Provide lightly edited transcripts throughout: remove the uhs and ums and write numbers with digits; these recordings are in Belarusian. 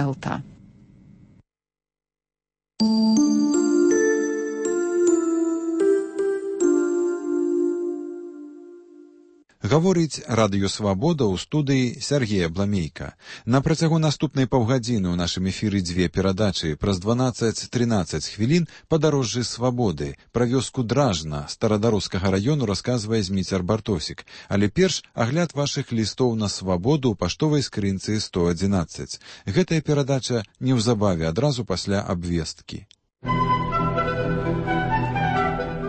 Ялта. Гаворыць Радыё Свабода ў студыі Сергея Бламейка. На працягу наступнай паўгадзіны ў нашым эфіры дзве перадачы. Праз 12-13 хвілін падарожжы свабоды. Пра вёску Дражна старадарускага раёну расказвае Зміцер Бартосік. Але перш агляд вашых лістоў на свабоду ў паштовай скрынцы 111. Гэтая перадача неўзабаве адразу пасля абвесткі.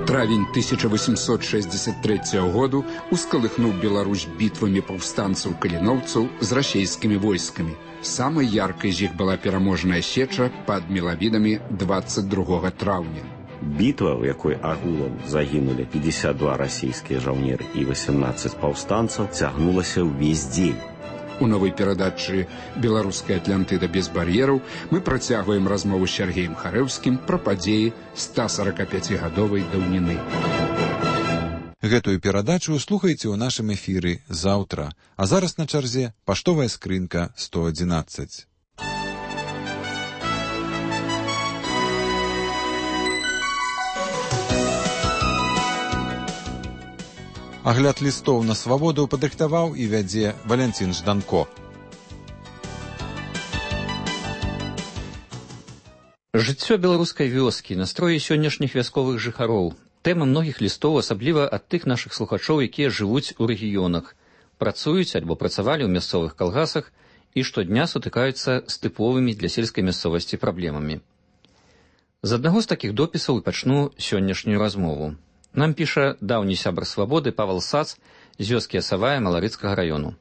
Травень 1863 году ускалыхнуў Беларусь бітвамі паўстанцаў-каліноўцаў з расейскімі войскамі. Самай яркай з іх была пераможная сеча пад Мелавідамі 22 траўня. Бітва, в якой агулам загінулі 52 расійскія жаўнеры і 18 паўстанцаў, цягнулася ўвесь дзень. У новай перадачы «Беларуская Атлантыда без бар'ераў» мы працягваем размову з Сергеем Харэўскім пра падзеі 145-гадовай даўніны. Гэтую перадачу слухайце ў нашым эфіры заўтра. А зараз на чарзе паштовая скрынка 111. Агляд лістоў на свабоду падрыхтаваў і вядзе Валянцін Жданко. Жыццё беларускай вёскі, настроі сённяшніх вясковых жыхароў. Тэма многіх лістоў, асабліва ад тых нашых слухачоў, якія жывуць у рэгіёнах, працуюць альбо працавалі ў мясцовых калгасах і штодня сутыкаюцца з тыповымі для сельскай мясцовасці праблемамі. З аднаго з такіх допісаў і пачну сённяшнюю размову. Нам піша даўні сябар свабоды Павал Сац з вёскі Асавая Маларыцкага раёну.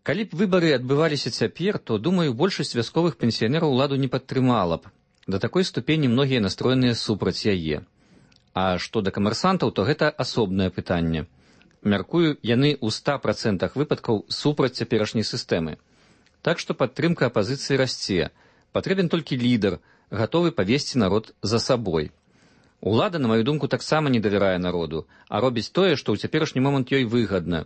Калі б выбары адбываліся цяпер, то, думаю, большасць вясковых пенсіянераў уладу не падтрымала б. Да такой ступені многія настроеныя супраць яе. А што да камерсантаў, то гэта асобнае пытанне. Мяркую, яны ў 100% выпадкаў супраць цяперашняй сістэмы. Так што падтрымка апазіцыі расце. Патрэбен толькі лідар, гатовы павесці народ за сабой. Улада, на маю думку, таксама не давярае народу, а робіць тое, што ў цяперашні момант ёй выгадна.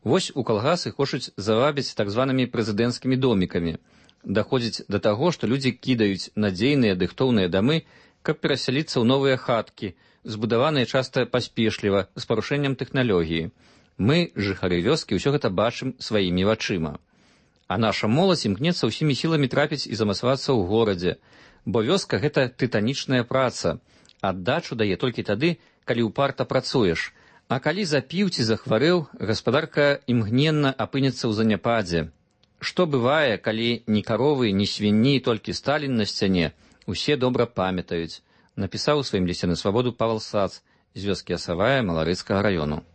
Вось у калгасы хочуць завабіць так званымі прэзідэнцкімі домікамі. Даходзіць да таго, што людзі кідаюць надзейныя дыхтоўныя дамы, каб перасяліцца ў новыя хаткі, збудаваныя часта паспешліва, з парушэннем тэхналогіі. Мы, жыхары вёскі, ўсё гэта бачым сваімі вачыма. А наша моладзь імкнецца ўсімі сіламі трапіць і замацавацца ў горадзе, бо вёска — гэта тытанічная праца. Аддачу дае толькі тады, калі ўпарта працуеш. А калі запіў ці захварэў, гаспадарка імгненна апынецца ў заняпадзе. Што бывае, калі ні каровы, ні свінні, толькі Сталін на сцяне, усе добра памятаюць, напісаў у сваім лісце на свабоду Павал Сац з вёскі Асавая Маларыцкага раёну.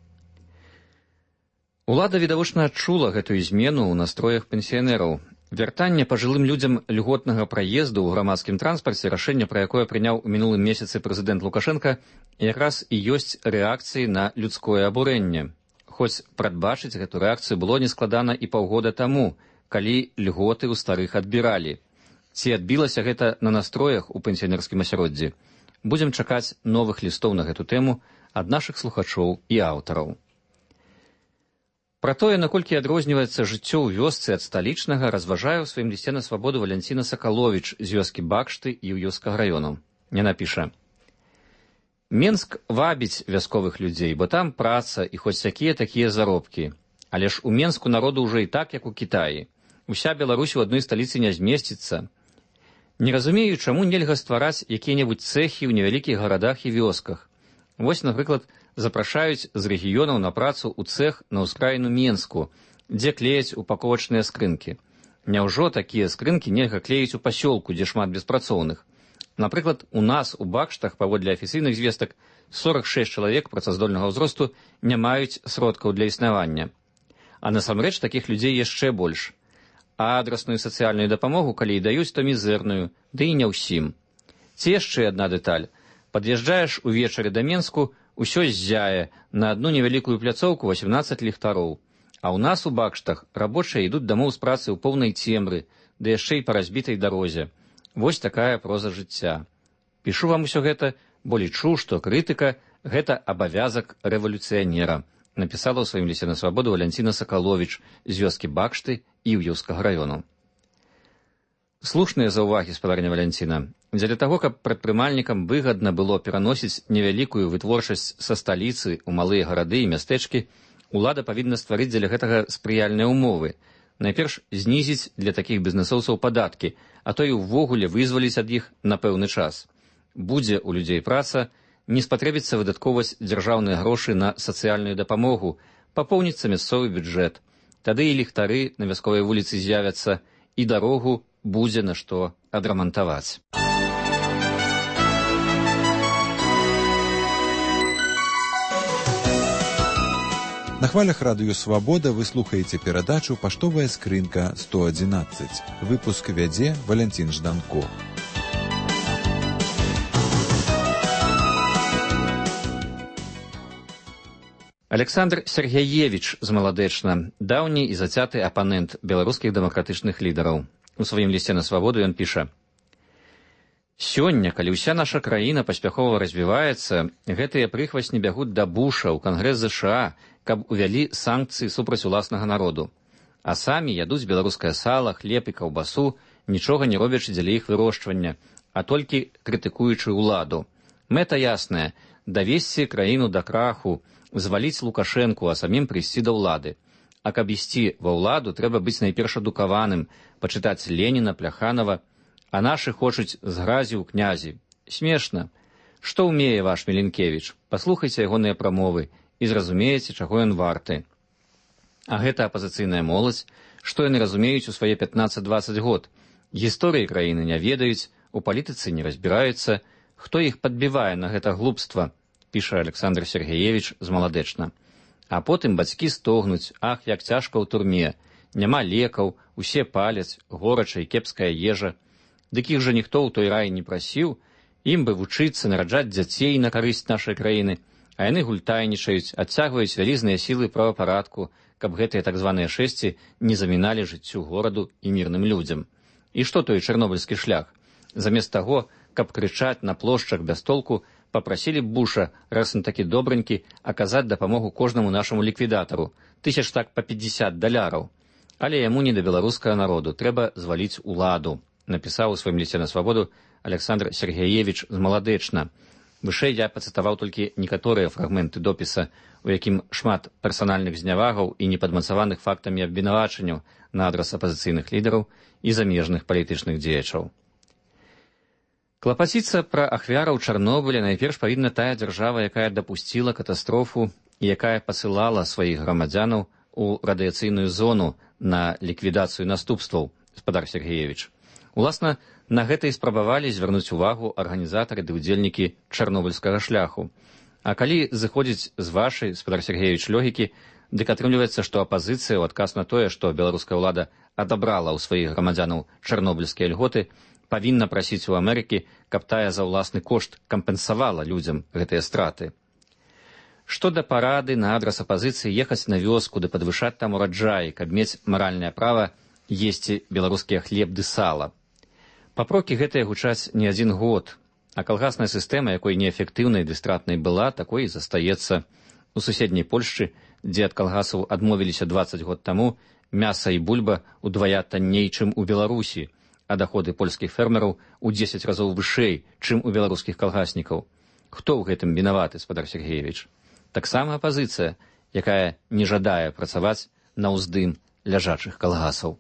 Улада відавочна адчула гэтую змену ў настроях пенсіянераў. Вяртанне пажылым людзям льготнага праезду ў грамадскім транспарце, рашэнне, пра якое прыняў у мінулым месяцы прэзідэнт Лукашенка, якраз і ёсць рэакцыяй на людское абурэнне. Хоць прадбачыць гэту рэакцыю было нескладана і паўгода таму, калі льготы ў старых адбіралі. Ці адбілася гэта на настроях у пенсіянерскім асяроддзі? Будзем чакаць новых лістоў на гэту тэму ад нашых слухачоў і аўтараў. Пра тое, наколькі адрозніваецца жыццё ў вёсцы ад сталічнага, разважае ў сваім лісце на свабоду Валянціна Сакаловіч з вёскі Бакшты і Іўёўскага раёну. Яна піша: Менск вабіць вясковых людзей, бо там праца і хоць такія заробкі. Але ж у Менску народу ўжо і так, як у Кітаі. Уся Беларусь у адной сталіцы не змесціцца. Не разумею, чаму нельга ствараць якія-небудзь цэхі ў невялікіх гарадах і вёсках. Вось, напрыклад, запрашаюць з рэгіёнаў на працу ў цэх на ўскраіну Менску, дзе клеяць упаковачныя скрынкі. Няўжо такія скрынкі нельга клеіць у пасёлку, дзе шмат беспрацоўных? Напрыклад, у нас у Бакштах, паводле афіцыйных звестак, 46 чалавек працаздольнага ўзросту не маюць сродкаў для існавання. А насамрэч такіх людзей яшчэ больш. А адрасную сацыяльную дапамогу, калі і даюць, то мізэрную, ды і не ўсім. Ці яшчэ адна дэталь. Пад'язджаеш увечары да Менску, усё ззяе, на адну невялікую пляцоўку 18 ліхтароў. А ў нас у Бакштах рабочыя ідуць дамоў з працы ў поўнай цемры, ды яшчэ і па разбітай дарозе. Вось такая проза жыцця. Пішу вам усё гэта, бо лічу, што крытыка — гэта абавязак рэвалюцыянера, напісала ў сваім лісце на свабоду Валянціна Сакаловіч з вёскі Бакшты і Іўёўскага раёну. Слушныя заўвагі, спадарня Валянціна. Дзеля таго, каб прадпрымальнікам выгадна было пераносіць невялікую вытворчасць са сталіцы ў малыя гарады і мястэчкі, улада павінна стварыць дзеля гэтага спрыяльныя ўмовы. Найперш знізіць для такіх бізнэсоўцаў падаткі, а то і ўвогуле вызваліць ад іх на пэўны час. Будзе ў людзей праца, не спатрэбіцца выдаткоўваць дзяржаўныя грошы на сацыяльную дапамогу, папоўніцца мясцовы бюджэт. Тады і ліхтары на вясковай вуліцы з'явяцца, і дарогу будзе на што адрамантаваць. На хвалях радыё «Свабода» вы слухаеце перадачу «Паштовая скрынка 111». Выпуск вядзе Валянцін Жданко. Александр Сергеевич з Маладэчна, даўні і зацяты апанент беларускіх дэмакратычных лідараў. У сваім лісце на «Свабоду» ён піша: «Сёння, калі ўся наша краіна паспяхова развіваецца, гэтыя прыхвасні бягуць да Буша ў Кангрэс ЗША, каб увялі санкцыі супраць уласнага народу. А самі ядуць беларускае сала, хлеб і каўбасу, нічога не робячы дзеля іх вырошчвання, а толькі крытыкуючы ўладу. Мэта ясная – давесці краіну да краху, зваліць Лукашэнку, а самім прыйсці да ўлады. А каб ісці ва ўладу, трэба быць найперш адукаваным, пачытаць Леніна, Пляханова, а нашы хочуць з гразі ў князі. Смешна. Што ўмее ваш Міленкевіч? Паслухайце ягоныя прамовы і зразумееце, чаго ён варты. А гэта апазіцыйная моладзь, што яны разумеюць у свае 15-20 год. Гісторыі краіны не ведаюць, у палітыцы не разбіраюцца. Хто іх падбівае на гэта глупства? Піша Александр Сергеевич з Маладэчна. А потым бацькі стогнуць: ах, як цяжка ў турме, няма лекаў, усе паляць, горача і кепская ежа. Дык іх жа ніхто ў той рай не прасіў, ім бы вучыцца, нараджаць дзяцей на карысць нашай краіны, а яны гультайнічаюць, адцягваюць вялізныя сілы правапарадку, каб гэтыя так званыя шэсці не заміналі жыццю гораду і мірным людзям. І што той чарнобыльскі шлях? Замест таго, каб крычаць на плошчах без толку, папрасілі б Буша, раз он такі добранькі, аказаць дапамогу кожнаму нашаму ліквідатару, тысяч так па $50. Але яму не да беларускага народу, трэба зваліць уладу, напісаў у сваім лісце на «Свабоду» Александр Сергеевич з Маладэчна. Вышэй я пацытаваў толькі некаторыя фрагменты допіса, у якім шмат персанальных знявагаў і непадмацаваных фактамі абвінавачанняў на адрас апазіцыйных лідараў і замежных палітычных дзеячаў. Клапаціцца пра ахвяраў Чарнобыля найперш павінна тая дзяржава, якая дапусціла катастрофу і якая пасылала сваіх грамадзянаў у радыяцыйную зону на ліквідацыю наступстваў, спадар Сергеевич. Уласна, на гэта і спрабавалі звярнуць увагу арганізатары ды ўдзельнікі чарнобыльскага шляху. А калі зыходзіць з вашай, спадар Сергеевич, логікі, дык атрымліваецца, што апазіцыя ў адказ на тое, што беларуская ўлада адабрала ў сваіх грамадзянаў чарнобыльскія льготы, павінна прасіць у Амерыкі, каб тая за ўласны кошт кампенсавала людзям гэтыя страты. Што да парады на адрас апазіцыі ехаць на вёску ды падвышаць там ураджай, каб мець маральнае права есці беларускія хлеб ды сала. Папрокі гэтыя гучаць не адзін год, а калгасная сістэма, якой неэфектыўнай ды стратнай была, такой і застаецца. У суседняй Польшчы, дзе ад калгасаў адмовіліся 20 год таму, мяса і бульба удвая танней, чым у Беларусі, а доходы польскіх фермераў у 10 разоў вышэй, чым у беларускіх калгаснікаў. Хто ў гэтым вінаваты, спадар Сергеевич? Таксама апазіцыя, якая не жадае працаваць на ўздым ляжачых калгасаў.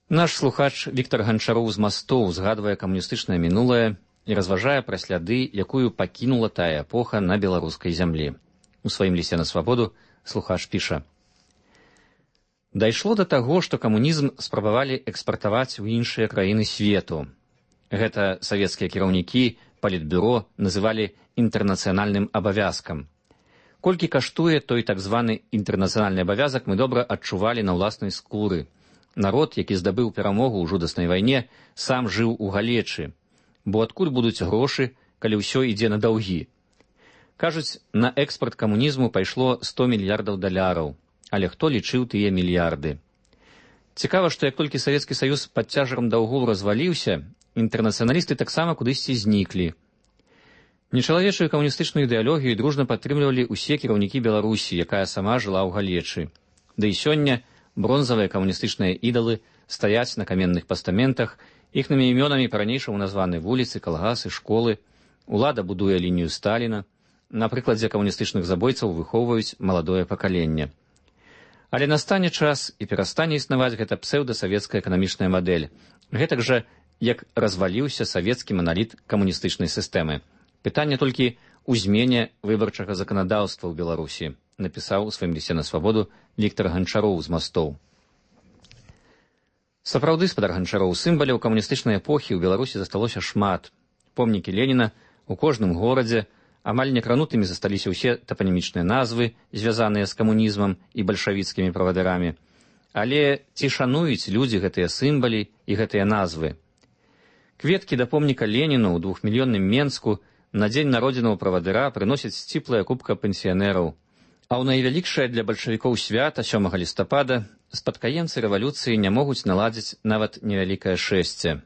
Наш слухач Віктор Ганчароў з Мастоў згадвае камуністычнае мінулае і разважае пра сляды, якую пакінула тая эпоха на беларускай зямлі. У сваім лісце на «Свабоду» слухач піша: «Дайшло да таго, што камунізм спрабавалі экспартаваць у іншыя краіны свету. Гэта савецкія кіраўнікі, палітбюро называлі інтэрнацыянальным абавязкам. Колькі каштуе той так званы інтэрнацыянальны абавязак, мы добра адчувалі на ўласнай скуры. Народ, які здабыў перамогу ў жудаснай вайне, сам жыў у галечы. Бо адкуль будуць грошы, калі ўсё ідзе на даўгі? Кажуць, на экспарт камунізму пайшло $100 мільярдаў. Але хто лічыў тыя мільярды? Цікава, што як толькі Савецкі Саюз пад цяжарам даўгоў разваліўся, інтэрнацыяналісты таксама кудысьці зніклі. Нечалавечую камуністычную ідэалогію дружна падтрымлівалі ўсе кіраўнікі Беларусі, якая сама жыла ў галечы. Да і сёння бронзавыя камуністычныя ідалы стаяць на каменных пастаментах, іхнымі імёнамі па-ранейшаму названы вуліцы, калгасы, школы. Улада будуе лінію Сталіна. На прыкладзе камуністычных забойцаў выхоўваюць маладое пакаленне. Але настане час і перастане існаваць гэта псеўдасавецкая эканамічная мадэль. Гэтак жа, як разваліўся савецкі маналіт камуністычнай сістэмы. Пытанне толькі ў змене выбарчага заканадаўства ў Беларусі, напісаў у сваім лісце на свабоду Віктар Ганчароў з Мастоў. Сапраўды, спадар Ганчароў, сімваляў камуністычнай эпохі ў Беларусі засталося шмат. Помнікі Леніна у кожным горадзе, амаль некранутымі засталіся ўсе тапанімічныя назвы, звязаныя з камунізмам і бальшавіцкімі правадарамі. Але ці шануюць людзі гэтыя сімвалі і гэтыя назвы? Кветкі да помніка Леніну ў 2-мільённым Менску на дзень народзінаў правадыра прыносяць сціплая купка пенсіянераў. А ў найвялікшае для бальшавікоў свята 7 лістапада спадкаемцы рэвалюцыі не могуць наладзіць нават невялікае шэсце.